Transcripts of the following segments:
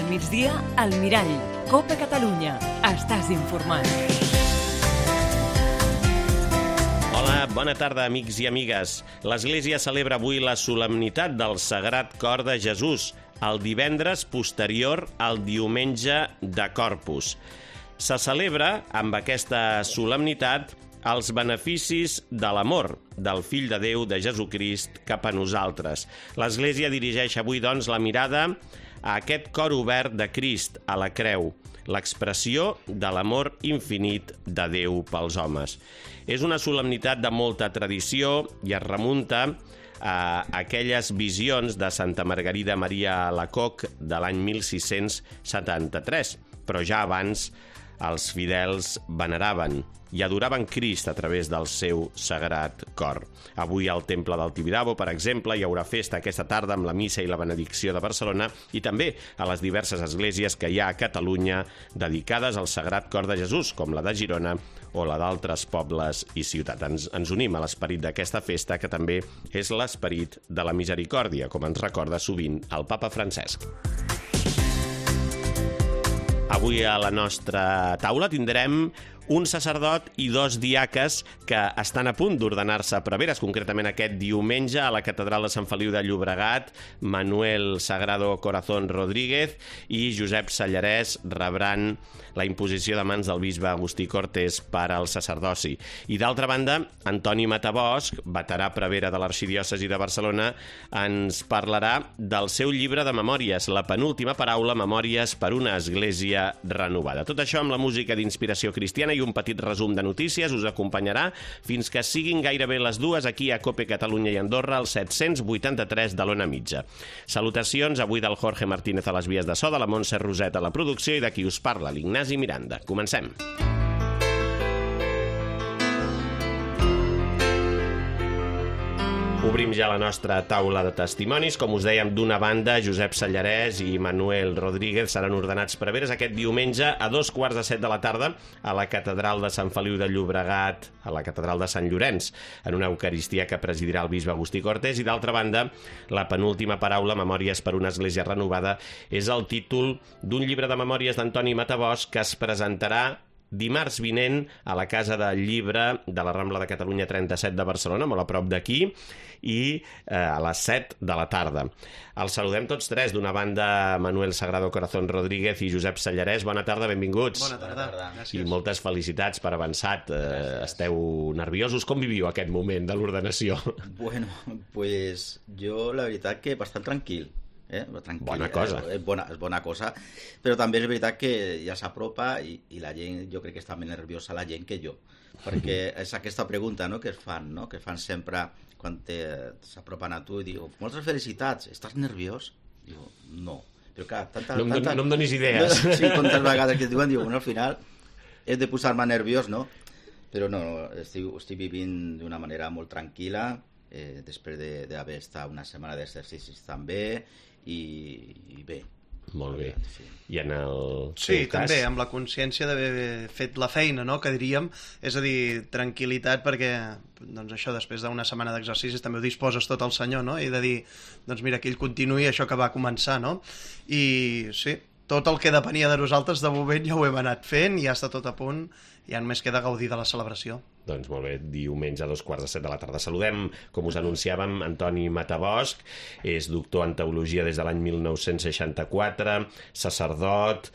Al migdia, al Mirall. Copa Catalunya. Estàs informat. Hola, bona tarda, amics i amigues. L'Església celebra avui la solemnitat del Sagrat Cor de Jesús, el divendres posterior al diumenge de Corpus. Se celebra, amb aquesta solemnitat, els beneficis de l'amor del Fill de Déu de Jesucrist cap a nosaltres. L'Església dirigeix avui, doncs, la mirada a aquest cor obert de Crist a la creu, l'expressió de l'amor infinit de Déu pels homes. És una solemnitat de molta tradició i es remunta a aquelles visions de Santa Margarida Maria Alacoque de l'any 1673, però ja abans els fidels veneraven i adoraven Crist a través del seu sagrat cor. Avui al Temple del Tibidabo, per exemple, hi haurà festa aquesta tarda amb la missa i la benedicció de Barcelona i també a les diverses esglésies que hi ha a Catalunya dedicades al Sagrat Cor de Jesús, com la de Girona o la d'altres pobles i ciutats. Ens unim a l'esperit d'aquesta festa, que també és l'esperit de la misericòrdia, com ens recorda sovint el papa Francesc. Avui a la nostra taula tindrem un sacerdot i dos diaques que estan a punt d'ordenar-se preveres, concretament aquest diumenge a la Catedral de Sant Feliu de Llobregat. Manuel Sagrado Corazón Rodríguez i Josep Sallarès rebran la imposició de mans del bisbe Agustí Cortés per al sacerdoci. I d'altra banda, Antoni Matabosch, veterà prevere de l'Arxidiòcesi de Barcelona, ens parlarà del seu llibre de memòries, La penúltima paraula, memòries per una església renovada. Tot això amb la música d'inspiració cristiana i un petit resum de notícies us acompanyarà fins que siguin gairebé les dues aquí a Cope Catalunya i Andorra, al 783 de l'Ona Mitja. Salutacions avui del Jorge Martínez a les vies de so, de la Montse Roset a la producció i de qui us parla, l'Ignasi Miranda. Comencem. Obrim ja la nostra taula de testimonis. Com us dèiem, d'una banda, Josep Sallarès i Manuel Rodríguez seran ordenats preveres aquest diumenge a 7:15 de la tarda a la Catedral de Sant Feliu de Llobregat, a la Catedral de Sant Llorenç, en una eucaristia que presidirà el bisbe Agustí Cortés. I d'altra banda, La penúltima paraula, memòries per una església renovada, és el títol d'un llibre de memòries d'Antoni Matabosch que es presentarà dimarts vinent a la Casa del Llibre de la Rambla de Catalunya 37 de Barcelona, molt a prop d'aquí, i a les 7 de la tarda. Els saludem tots tres. D'una banda, Manuel Sagrado Corazón Rodríguez i Josep Sallarès. Bona tarda, benvinguts. Bona tarda. Gràcies. I moltes felicitats per avançat. Esteu nerviosos? Com viviu aquest moment de l'ordenació? Bueno, pues jo la veritat que bastant tranquil. Tranquil. Bona cosa. És bona cosa, però també és veritat que ja s'apropa i la gent, jo crec que està més nerviosa la gent que jo, perquè és aquesta pregunta, no?, que es fan sempre quan s'apropen a tu i diu, moltes felicitats, estàs nerviós? Diu, no. Però clar, no em donis idees. Sí, tantes vegades que et diuen, diu, al final he de posar-me nerviós, no? Però no, estic vivint d'una manera molt tranquil·la, després d'haver estat una setmana d'exercicis també, i bé. Molt bé. Sí. I en el Sí, cas... també, amb la consciència d'haver fet la feina, no?, que diríem, és a dir, tranquil·litat, perquè doncs això, després d'una setmana d'exercicis també ho disposes tot al Senyor, no?, i de dir, doncs mira, que ell continuï això que va començar, no? I sí, tot el que depenia de nosaltres de moment ja ho hem anat fent, ja està tot a punt, ja només queda gaudir de la celebració. Doncs molt bé, diumenge a 7:15 de la tarda. Saludem, com us anunciàvem, Antoni Matabosch, és doctor en teologia des de l'any 1964, sacerdot,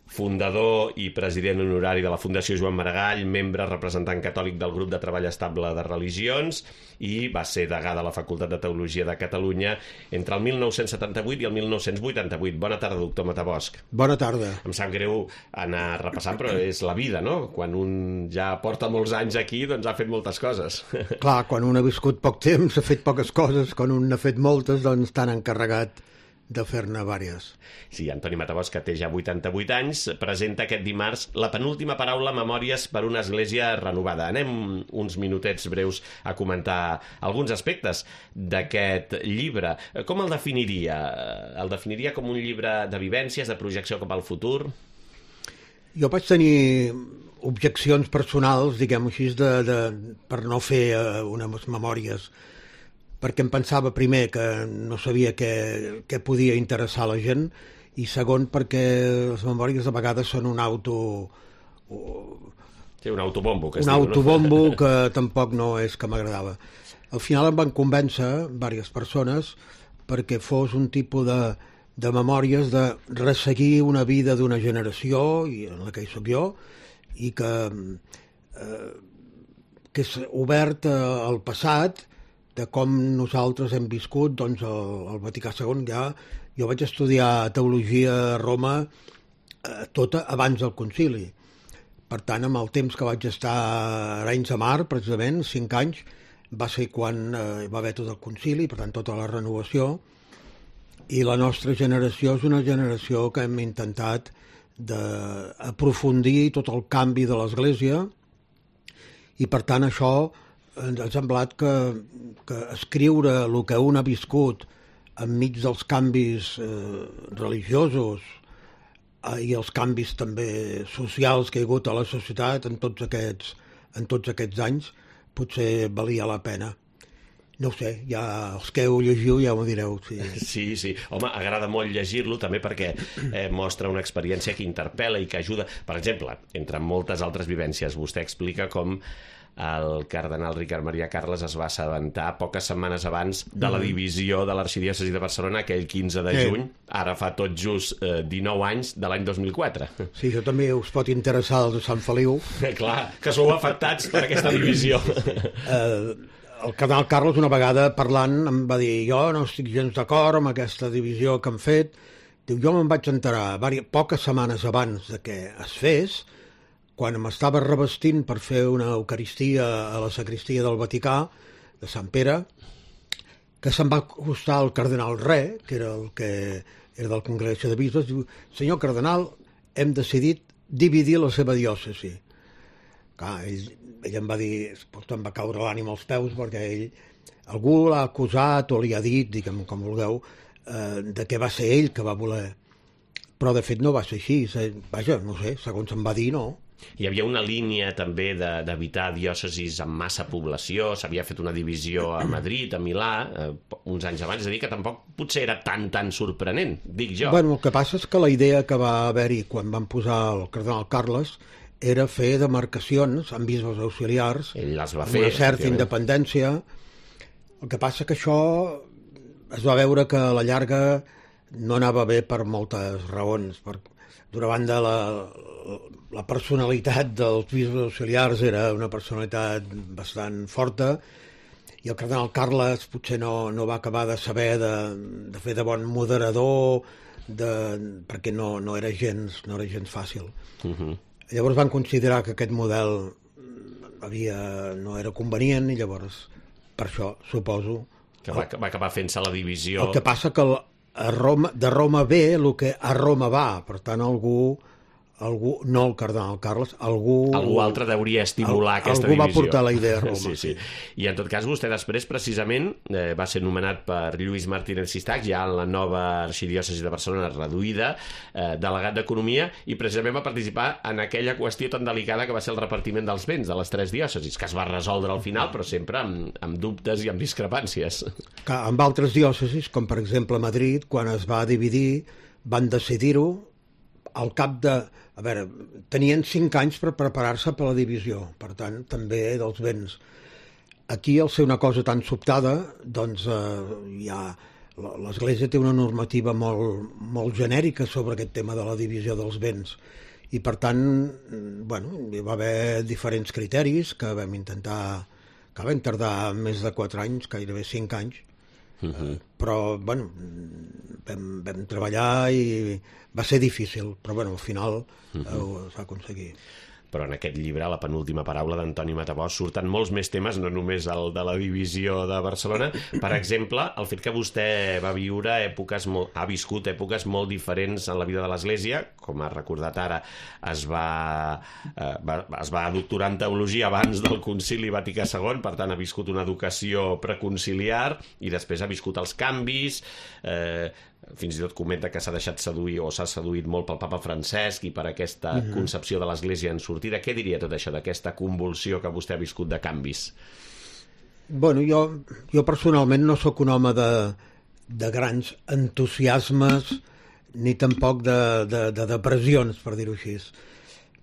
fundador i president honorari de la Fundació Joan Maragall, membre representant catòlic del grup de treball estable de religions i va ser degà de la Facultat de Teologia de Catalunya entre el 1978 i el 1988. Bona tarda, doctor Matabosch. Bona tarda. Em sap greu anar repassant, però és la vida, no? Quan un ja porta molts anys aquí, doncs ha fet moltes coses. Clar, quan un ha viscut poc temps, ha fet poques coses, quan un n'ha fet moltes, doncs t'han encarregat de fer-ne vàries. Sí, Antoni Matabosch, que té ja 88 anys, presenta aquest dimarts La penúltima paraula, memòries per una església renovada. Anem uns minutets breus a comentar alguns aspectes d'aquest llibre. Com el definiria? El definiria com un llibre de vivències, de projecció cap al futur? Jo vaig tenir objeccions personals, diguem-ho així, per no fer unes memòries, perquè em pensava primer que no sabia què podia interessar a la gent, i segon perquè les memòries de vegades són un Sí, un autobombo, que es un diu, autobombo que tampoc no és que m'agradava. Al final em van convèncer diverses persones perquè fos un tipus de memòries de resseguir una vida d'una generació, i en la que hi soc jo, i que és obert al passat, de com nosaltres hem viscut doncs, el Vaticà II. Jo vaig estudiar teologia a Roma tota abans del concili. Per tant, amb el temps que vaig estar a Arenys de Mar, precisament, 5 anys, va ser quan hi va haver tot el concili, per tant, tota la renovació, i la nostra generació és una generació que hem intentat d'aprofundir tot el canvi de l'Església, i per tant això ens ha semblat que escriure el que un ha viscut enmig dels canvis religiosos i els canvis també socials que hi ha hagut a la societat en tots aquests anys, potser valia la pena. No ho sé, ja els que ho llegiu ja m'ho direu. Sí. Home, agrada molt llegir-lo també perquè mostra una experiència que interpel·la i que ajuda. Per exemple, entre moltes altres vivències, vostè explica com el cardenal Ricard Maria Carles es va assabentar poques setmanes abans de la divisió de l'arxidiòcesi de Barcelona aquell 15 de juny, ara fa tot just 19 anys de l'any 2004. Sí, això també us pot interessar els de Sant Feliu. Clar, que sou afectats per aquesta divisió. El cardenal Carles una vegada parlant em va dir jo no estic gens d'acord amb aquesta divisió que han fet. Diu, jo me'n vaig enterar poques setmanes abans de que es fes, quan m'estava revestint per fer una eucaristia a la sacristia del Vaticà, de Sant Pere, que se'n va acostar el cardenal Re, que era el que era del Congregació de Bisbes, diu, senyor cardenal, hem decidit dividir la seva diòcesi. Clar, ell em va dir, em va caure l'ànima als peus, perquè algú l'ha acusat o li ha dit, diguem com vulgueu, de que va ser ell que va voler. Però de fet no va ser així, vaja, no sé, segons em va dir, no. Hi havia una línia també d'evitar diòcesis amb massa població, s'havia fet una divisió a Madrid, a Milà, uns anys abans, és a dir, que tampoc potser era tan sorprenent, dic jo. Bueno, el que passa és que la idea que va haver-hi quan van posar el cardenal Carles era fer demarcacions amb bisbes auxiliars, amb una certa independència. El que passa que això es va veure que a la llarga no anava bé per moltes raons. D'una banda, la personalitat dels bisbes auxiliars era una personalitat bastant forta i el cardenal Carles potser no va acabar de saber de fer de bon moderador perquè no era gens fàcil. Llavors van considerar que aquest model no era convenient i llavors per això suposo que va acabar fent-se la divisió. El que passa que de Roma ve el que a Roma va, per tant algú no el cardenal Carles, algú altre deuria estimular aquesta divisió. Algú va portar la idea a Roma. Sí. I en tot cas vostè després precisament va ser nomenat per Lluís Martínez Sistac, ja en la nova arxidiòcesi de Barcelona reduïda, delegat d'Economia, i precisament va participar en aquella qüestió tan delicada que va ser el repartiment dels béns de les 3 diòcesis, que es va resoldre al final, però sempre amb dubtes i amb discrepàncies. Amb altres diòcesis, com per exemple Madrid, quan es va dividir, van decidir-ho al cap de... A veure, tenien 5 anys per preparar-se per la divisió, per tant, també dels béns. Aquí, al ser una cosa tan sobtada, doncs l'Església té una normativa molt genèrica sobre aquest tema de la divisió dels béns. I, per tant, hi va haver diferents criteris que vam tardar més de 4 anys, gairebé 5 anys, però vam treballar i va ser difícil, però al final es va aconseguir. Però en aquest llibre, la penúltima paraula d'Antoni Matabós, surten molts més temes, no només el de la divisió de Barcelona. Per exemple, el fet que vostè ha viscut èpoques molt diferents en la vida de l'Església, com ha recordat ara, es va doctorar en teologia abans del Concili Vaticà II, per tant ha viscut una educació preconciliar i després ha viscut els canvis, fins i tot comenta que s'ha deixat seduir o s'ha seduït molt pel papa Francesc i per aquesta concepció de l'Església en sortida. Què diria tot això d'aquesta convulsió que vostè ha viscut de canvis? Jo personalment no sóc un home de grans entusiasmes ni tampoc de depressions, per dir-ho així.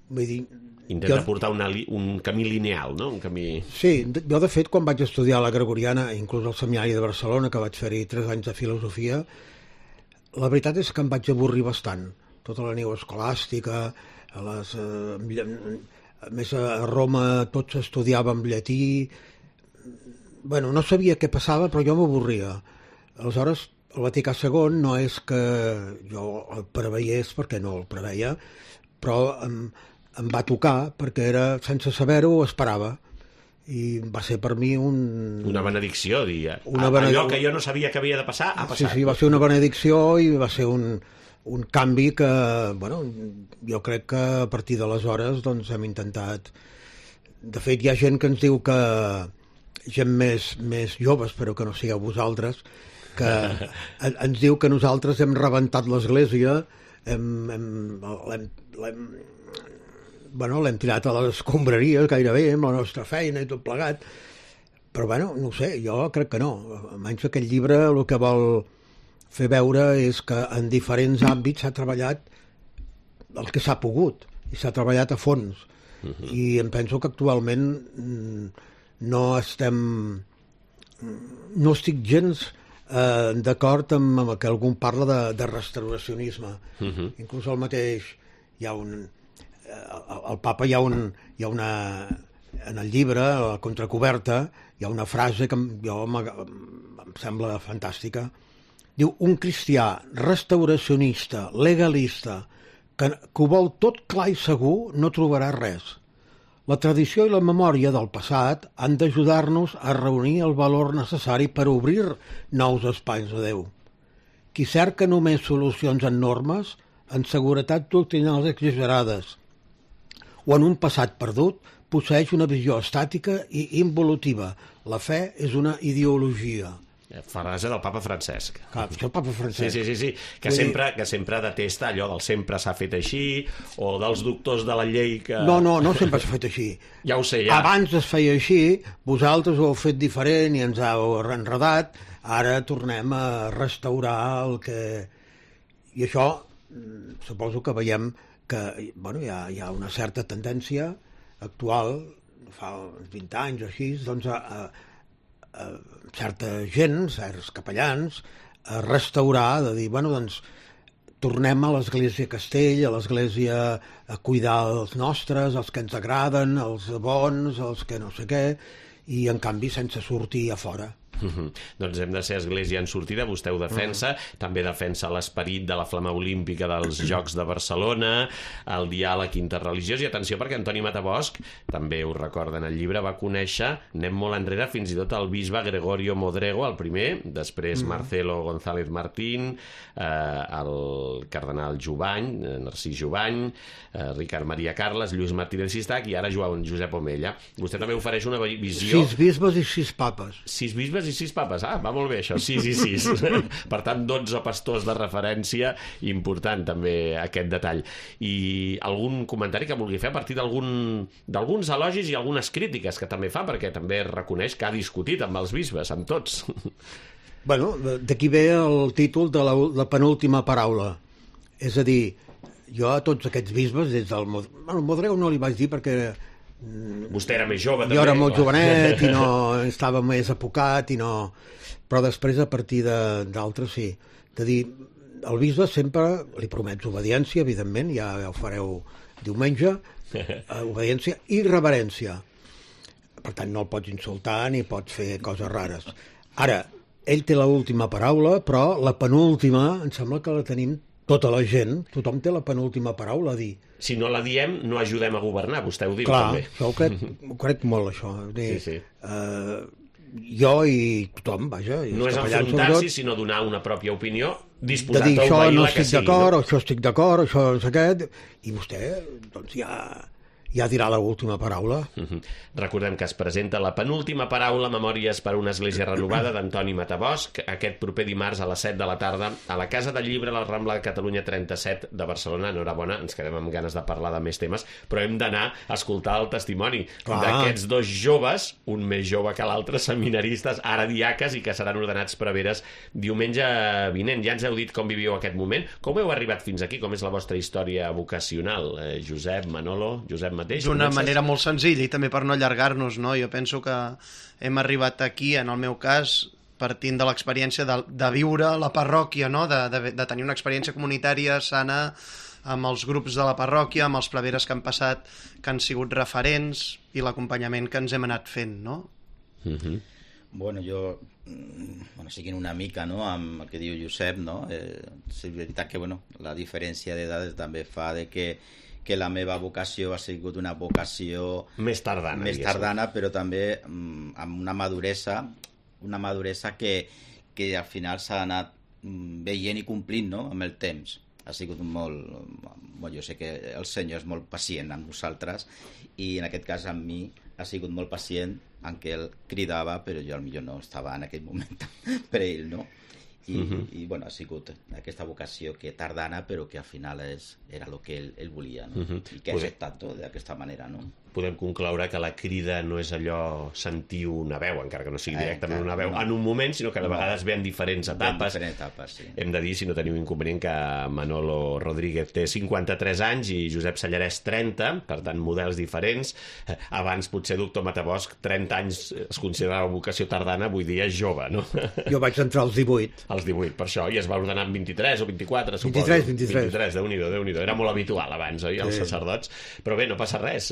Vull dir, Intenta portar un camí lineal, no? Un camí... Sí, jo de fet quan vaig estudiar a la Gregoriana, inclús al Seminari de Barcelona, que vaig fer-hi 3 anys de filosofia, la veritat és que em vaig avorrir bastant. Tota la neoescolàstica, a més a Roma tot s'estudiava en llatí. Bueno, no sabia què passava, però jo m'avorria. Aleshores, el Vaticà II no és que jo el preveiés, perquè no el preveia, però em va tocar perquè era, sense saber-ho, ho esperava. I va ser per mi una benedicció, allò que jo no sabia que havia de passar, ha passat. Sí, va ser una benedicció i va ser un canvi que, bueno, jo crec que a partir d'aleshores doncs, hem intentat... De fet, hi ha gent que ens diu que... gent més jove, espero que no sigueu vosaltres, que ens diu que nosaltres hem rebentat l'església, l'hem tirat a les escombraries gairebé amb la nostra feina i tot plegat, però bueno, no ho sé, jo crec que no. Almenys aquest llibre el que vol fer veure és que en diferents àmbits s'ha treballat el que s'ha pogut i s'ha treballat a fons. I em penso que actualment no estic gens d'acord amb que algú parla de restauracionisme. Inclús el mateix hi ha el papa hi ha una en el llibre, a la contracoberta hi ha una frase que em sembla fantàstica. Diu, un cristià restauracionista, legalista, que ho vol tot clar i segur, no trobarà res. La tradició i la memòria del passat han d'ajudar-nos a reunir el valor necessari per obrir nous espais de Déu. Qui cerca només solucions en normes, en seguretat doctrinals exagerades, o en un passat perdut, posseeix una visió estàtica i involutiva. La fe és una ideologia. Frase del papa Francesc. Clar, això el papa Francesc. Sí. Que sempre detesta allò del sempre s'ha fet així, o dels doctors de la llei que... No sempre s'ha fet així. Ja ho sé, ja. Abans es feia així, vosaltres ho heu fet diferent i ens heu enredat, ara tornem a restaurar el que... I això, suposo que veiem que hi ha una certa tendència actual, fa 20 anys o així, doncs a certa gent, certs capellans, a restaurar, de dir, doncs tornem a l'església Castell, a l'església a cuidar els nostres, els que ens agraden, els bons, els que no sé què, i en canvi sense sortir a fora. Doncs hem de ser església en sortida, vostè ho defensa, també defensa l'esperit de la flama olímpica dels Jocs de Barcelona, el diàleg interreligiós, i atenció perquè Antoni Matabosc, també ho recorda en el llibre, va conèixer, anem molt enrere, fins i tot el bisbe Gregorio Modrego, el primer, després Marcelo González Martín, el cardenal Jubany, Narcís Jubany, Ricard Maria Carles, Lluís Martínez Sistac i ara Josep Omella. Vostè també ofereix una visió... 6 bisbes i 6 papes. 6 bisbes i 6 papes. Va molt bé això, 6 i 6. Per tant, 12 pastors de referència, important també aquest detall. I algun comentari que vulgui fer a partir d'alguns elogis i algunes crítiques que també fa, perquè també reconeix que ha discutit amb els bisbes, amb tots. Bueno, d'aquí ve el títol de la penúltima paraula. És a dir, jo a tots aquests bisbes, des del Modrego no li vaig dir perquè... Vostè era més jove, també. Jo era molt jovenet i no estava més apocat i no... Però després, a partir d'altres, sí. De dir, el bisbe sempre li promets obediència, evidentment, ja ho fareu diumenge, obediència i reverència. Per tant, no el pots insultar ni pots fer coses rares. Ara, ell té l'última paraula, però la penúltima, em sembla que la tenim tota la gent, tothom té la penúltima paraula a dir. Si no la diem, no ajudem a governar, vostè ho diu. Clar, també. Això ho crec molt, això. Sí. Jo i tothom, vaja. No és enfrontar-s'hi, sinó donar una pròpia opinió, disposat a obeir això no la que estic sigui. d'acord, això estic d'acord, això no sé què, i vostè, doncs, ja dirà l'última paraula. Recordem que es presenta la penúltima paraula Memòries per una església renovada d'Antoni Matabosc aquest proper dimarts a les 7 de la tarda a la Casa del Llibre, a la Rambla de Catalunya 37 de Barcelona. Enhorabona, ens quedem amb ganes de parlar de més temes, però hem d'anar a escoltar el testimoni d'aquests dos joves, un més jove que l'altre, seminaristes, ara diaques, i que seran ordenats preveres diumenge vinent. Ja ens heu dit com viviu aquest moment. Com heu arribat fins aquí? Com és la vostra història vocacional? Josep, Manolo, Josep mateix? D'una manera molt senzilla i també per no allargar-nos, no? Jo penso que hem arribat aquí, en el meu cas, partint de l'experiència de viure la parròquia, no? De tenir una experiència comunitària sana amb els grups de la parròquia, amb els preveres que han passat, que han sigut referents, i l'acompanyament que ens hem anat fent, no? Bueno, jo, seguint una mica, no?, amb el que diu Josep, no?, és veritat que, la diferència d'edades també fa de que la meva vocació ha sigut una vocació més tardana, però també amb una maduresa que al final s'ha anat veient i complint, no?, amb el temps. Ha sigut jo sé que el Senyor és molt pacient amb nosaltres, i en aquest cas amb mi ha sigut molt pacient, en què ell cridava, però jo potser no estava en aquell moment per ell, no? I ha sigut aquesta vocació que tardana, però que al final era el que ell volia, no? I que ha acceptat d'aquesta manera, no? Podem concloure que la crida no és allò sentir una veu, encara que no sigui directament una veu, en un moment, sinó que de vegades ve en diferents etapes. Sí. Hem de dir, si no teniu inconvenient, que Manolo Rodríguez té 53 anys i Josep Sallarès 30, per tant, models diferents. Abans, potser, doctor Matabosc, 30 anys es considerava vocació tardana, avui dia és jove, no? Jo vaig entrar als 18. Als 18, per això, i es va ordenar amb 23 o 24, suposo. 23. Déu-n'hi-do. Era molt habitual abans, oi, els sacerdots? Però bé, no passa res,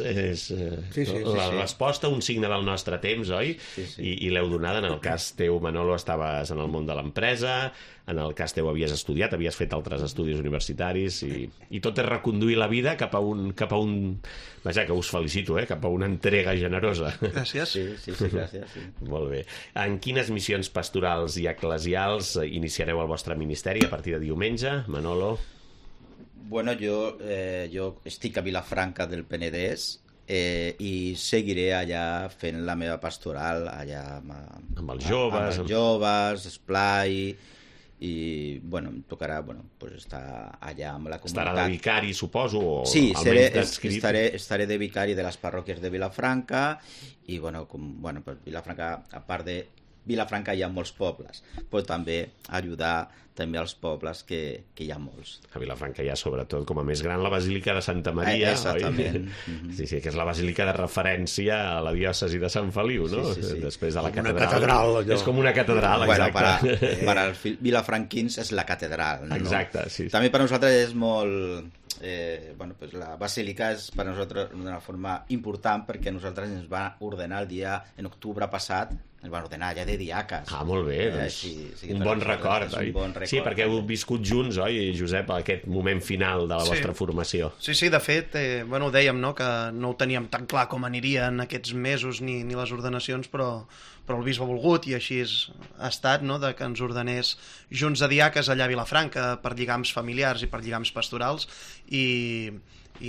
la resposta, un signe del nostre temps, oi? Sí. I l'heu donada. En el cas teu, Manolo, estaves en el món de l'empresa, en el cas teu havies estudiat, havies fet altres estudis universitaris, i tot és reconduir la vida cap a un vaja, que us felicito, cap a una entrega generosa. Gràcies. Sí, gràcies. Sí. Molt bé. En quines missions pastorals i eclesials iniciareu el vostre ministeri a partir de diumenge, Manolo? Bueno, jo estic a Vilafranca del Penedès, i seguiré allà fent la meva pastoral allà amb els joves, esplai, i em tocarà estar allà amb la comunitat. Estarà de vicari, suposo? Sí, estaré de vicari de les parròquies de Vilafranca, i Vilafranca, a part de Vilafranca hi ha molts pobles, però també ajudar també als pobles que hi ha molts. A Vilafranca hi ha, sobretot, com a més gran, la Basílica de Santa Maria, exactament. Sí, que és la basílica de referència a la diòcesi de Sant Feliu, no? Sí. Després de la catedral. Una catedral, allò. És com una catedral, exacte. Per als vilafranquins és la catedral, no? Exacte, sí. També per nosaltres és molt... la basílica és per nosaltres d'una forma important, perquè nosaltres ens va ordenar en octubre passat, ens van ordenar ja de diaques. Ah, molt bé, un bon record, oi? Sí, perquè heu viscut junts, oi, Josep, aquest moment final de la vostra formació. Sí, de fet, ho dèiem, no?, que no ho teníem tan clar com anirien aquests mesos ni les ordenacions, però el bisbe ha volgut, i així ha estat, no?, de que ens ordenés junts de diaques allà a Vilafranca per lligams familiars i per lligams pastorals, i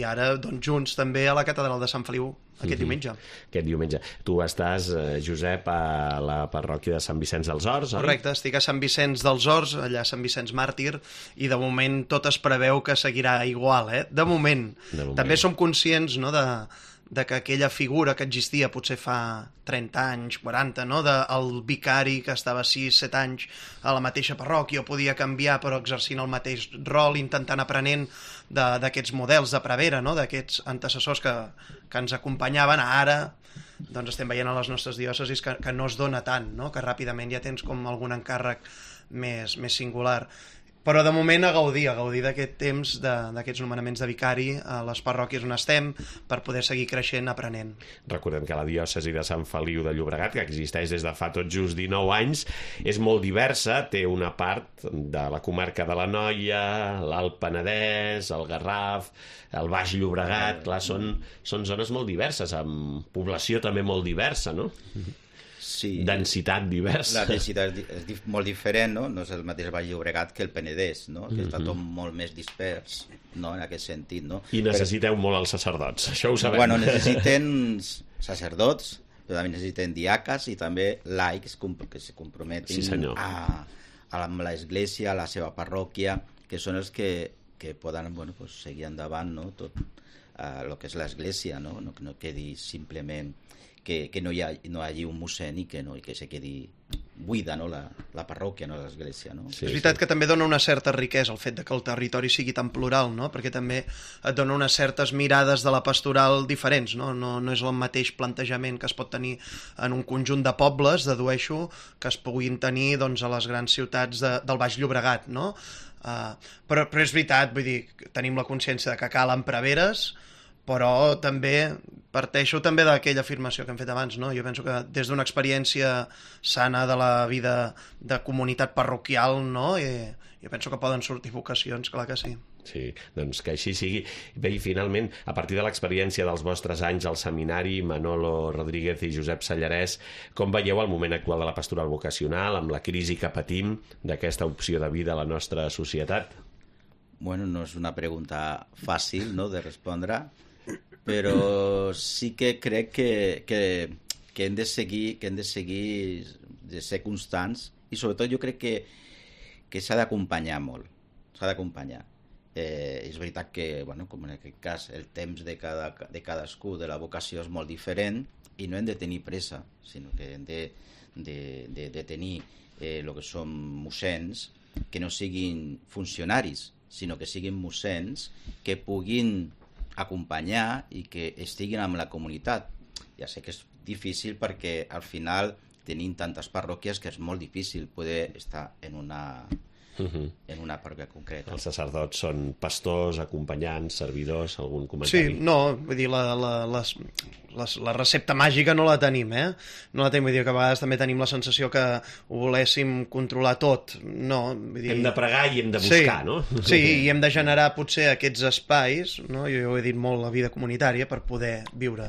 ara junts també a la catedral de Sant Feliu aquest diumenge. Aquest diumenge. Tu estàs, Josep, a la parròquia de Sant Vicenç dels Horts, oi? Correcte, estic a Sant Vicenç dels Horts, allà a Sant Vicenç Màrtir, i de moment tot es preveu que seguirà igual, De moment. També som conscients, no?, de que aquella figura que existia potser fa 30 anys, 40, no?, del vicari que estava 6-7 anys a la mateixa parròquia, o podia canviar però exercint el mateix rol, intentant aprenent d'aquests models de prevera, no?, d'aquests antecessors que ens acompanyaven. Ara estem veient a les nostres diòcesis que no es dona tant, no?, que ràpidament ja tens com algun encàrrec més singular. Però de moment a gaudir d'aquest temps, d'aquests nomenaments de vicari a les parròquies on estem, per poder seguir creixent, aprenent. Recordem que la diòcesi de Sant Feliu de Llobregat, que existeix des de fa tot just 19 anys, és molt diversa, té una part de la comarca de l'Anoia, l'Alt Penedès, el Garraf, el Baix Llobregat, clar, són zones molt diverses, amb població també molt diversa, no? densitat diversa. La densitat és molt diferent, no? No és el mateix Baix Llobregat que el Penedès, no? Que està tot molt més dispers, no? En aquest sentit, no? I necessiteu molt els sacerdots, això ho sabem. Bueno, necessiten sacerdots, però també necessiten diaques i també laics que se comprometin amb l'església, a la seva parròquia, que són els que poden seguir endavant, no? Tot el que és l'església, no? No quedi simplement que no hi hagi un mossèn i que se quedi buida, no? La parròquia, no l'església, no? És veritat que també dona una certa riquesa el fet de que el territori sigui tan plural, no? Perquè també et dona unes certes mirades de la pastoral diferents, no? No és el mateix plantejament que es pot tenir en un conjunt de pobles, dedueixo, que es puguin tenir doncs, a les grans ciutats del Baix Llobregat, no? Però és veritat, vull dir, tenim la consciència de que calen preveres, però també parteixo també d'aquella afirmació que hem fet abans, no? Jo penso que des d'una experiència sana de la vida de comunitat parroquial, no? Jo penso que poden sortir vocacions, clar que sí. Sí, doncs que així sigui. Bé, i finalment, a partir de l'experiència dels vostres anys al seminari, Manolo Rodríguez i Josep Sallarès, com veieu el moment actual de la pastoral vocacional, amb la crisi que patim d'aquesta opció de vida a la nostra societat? Bueno, no és una pregunta fàcil, no?, de respondre, però sí que crec que hem de seguir de ser constants i sobretot jo crec que s'ha d'acompanyar molt, s'ha d'acompanyar. És veritat que, com en aquest cas, el temps de cadascú de la vocació és molt diferent i no hem de tenir pressa, sinó que hem de tenir el que són mossens que no siguin funcionaris, sinó que siguin mossens que puguin acompanyar i que estiguin amb la comunitat. Ja sé que és difícil perquè al final tenim tantes parròquies que és molt difícil poder estar en una parròquia concreta. Els sacerdots són pastors, acompanyants, servidors, algun comentari? Sí, no, vull dir, la recepta màgica no la tenim, No la tenim, vull dir que a vegades també tenim la sensació que ho voléssim controlar tot, no? Vull dir... Hem de pregar i hem de buscar, no? Sí, i hem de generar potser aquests espais, no? Jo ho he dit molt, la vida comunitària, per poder viure.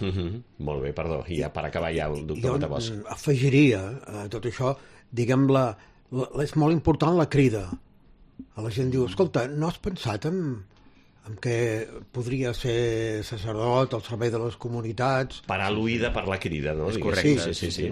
Molt bé, perdó, i ja per acabar ja el doctor Matabosc. Jo afegiria a tot això, diguem, és molt important la crida. A la gent diu, escolta, no has pensat en què podria ser sacerdot al servei de les comunitats? Parar l'oïda per la crida, no? És correcte. Sí.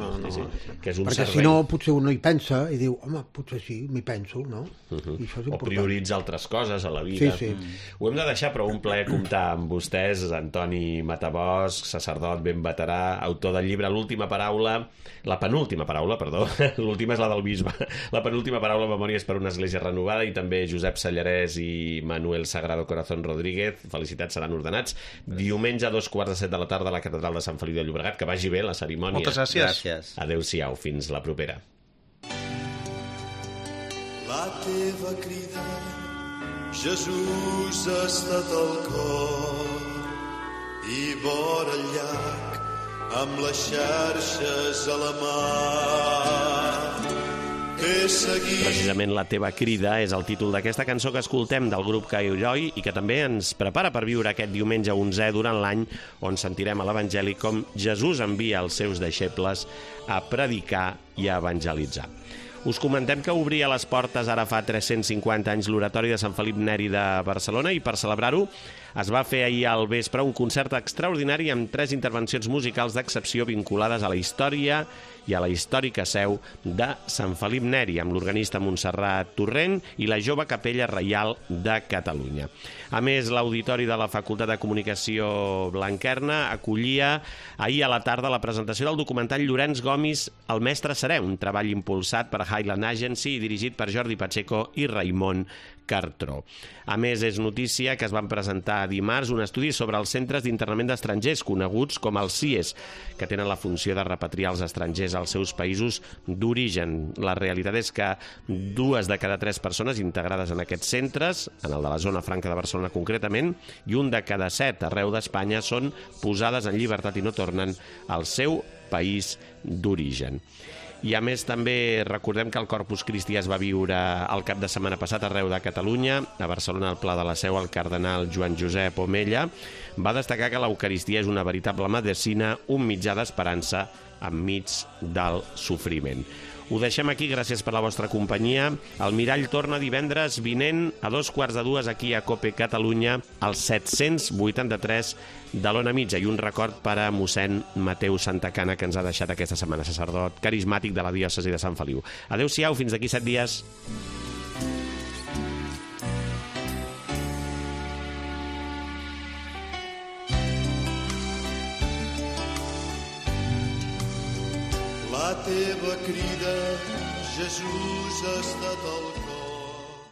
Que és un perquè servei. si no, potser un no hi pensa i diu, home, potser sí, m'hi penso, no? I això és important. O prioritza altres coses a la vida. Sí. Ho hem de deixar, però un plaer comptar amb vostès, Antoni Matabosc, sacerdot ben veterà, autor del llibre L'última paraula, la penúltima paraula, perdó, l'última és la del bisbe, la penúltima paraula, Memòries per una església renovada, i també Josep Sallarès i Manuel Sagrado Corazón Rodríguez, felicitats, seran ordenats diumenge a 2:15 de la tarda a la Catedral de Sant Feliu de Llobregat. Que vagi bé la cerimònia. Moltes gràcies. Gràcies. Adéu-siau, fins la propera. La teva crida, Jesús, ha estat al cor i vora el llac amb les xarxes a la mà. Precisament La teva crida és el títol d'aquesta cançó que escoltem del grup Cairoi i que també ens prepara per viure aquest diumenge 11è durant l'any, on sentirem a l'Evangeli com Jesús envia els seus deixebles a predicar i a evangelitzar. Us comentem que obria les portes ara fa 350 anys l'Oratori de Sant Felip Neri de Barcelona i per celebrar-ho es va fer ahir al vespre un concert extraordinari amb 3 intervencions musicals d'excepció vinculades a la història i a la històrica seu de Sant Felip Neri, amb l'organista Montserrat Torrent i la jove Capella Reial de Catalunya. A més, l'Auditori de la Facultat de Comunicació Blanquerna acollia ahir a la tarda la presentació del documental Llorenç Gomis, El mestre serè, un treball impulsat per Highland Agency i dirigit per Jordi Pacheco i Raimon Cartró. A més, és notícia que es van presentar dimarts un estudi sobre els centres d'internament d'estrangers, coneguts com els CIES, que tenen la funció de repatriar els estrangers als seus països d'origen. La realitat és que 2 de cada 3 persones integrades en aquests centres, en el de la zona franca de Barcelona concretament, i 1 de cada 7 arreu d'Espanya són posades en llibertat i no tornen al seu país d'origen. I a més també recordem que el Corpus Christi es va viure el cap de setmana passat arreu de Catalunya. A Barcelona, al Pla de la Seu, el cardenal Joan Josep Omella va destacar que l'Eucaristia és una veritable medecina, un mitjà d'esperança enmig del sofriment. Ho deixem aquí, gràcies per la vostra companyia. El Mirall torna divendres vinent a 2:15 aquí a COPE Catalunya, al 783 de l'Ona Mitja. I un record per a mossèn Mateu Santacana, que ens ha deixat aquesta setmana, sacerdot carismàtic de la diòcesi de Sant Feliu. Adéu-siau, fins d'aquí 7 dies. La teva crida, Jesús, ha estat el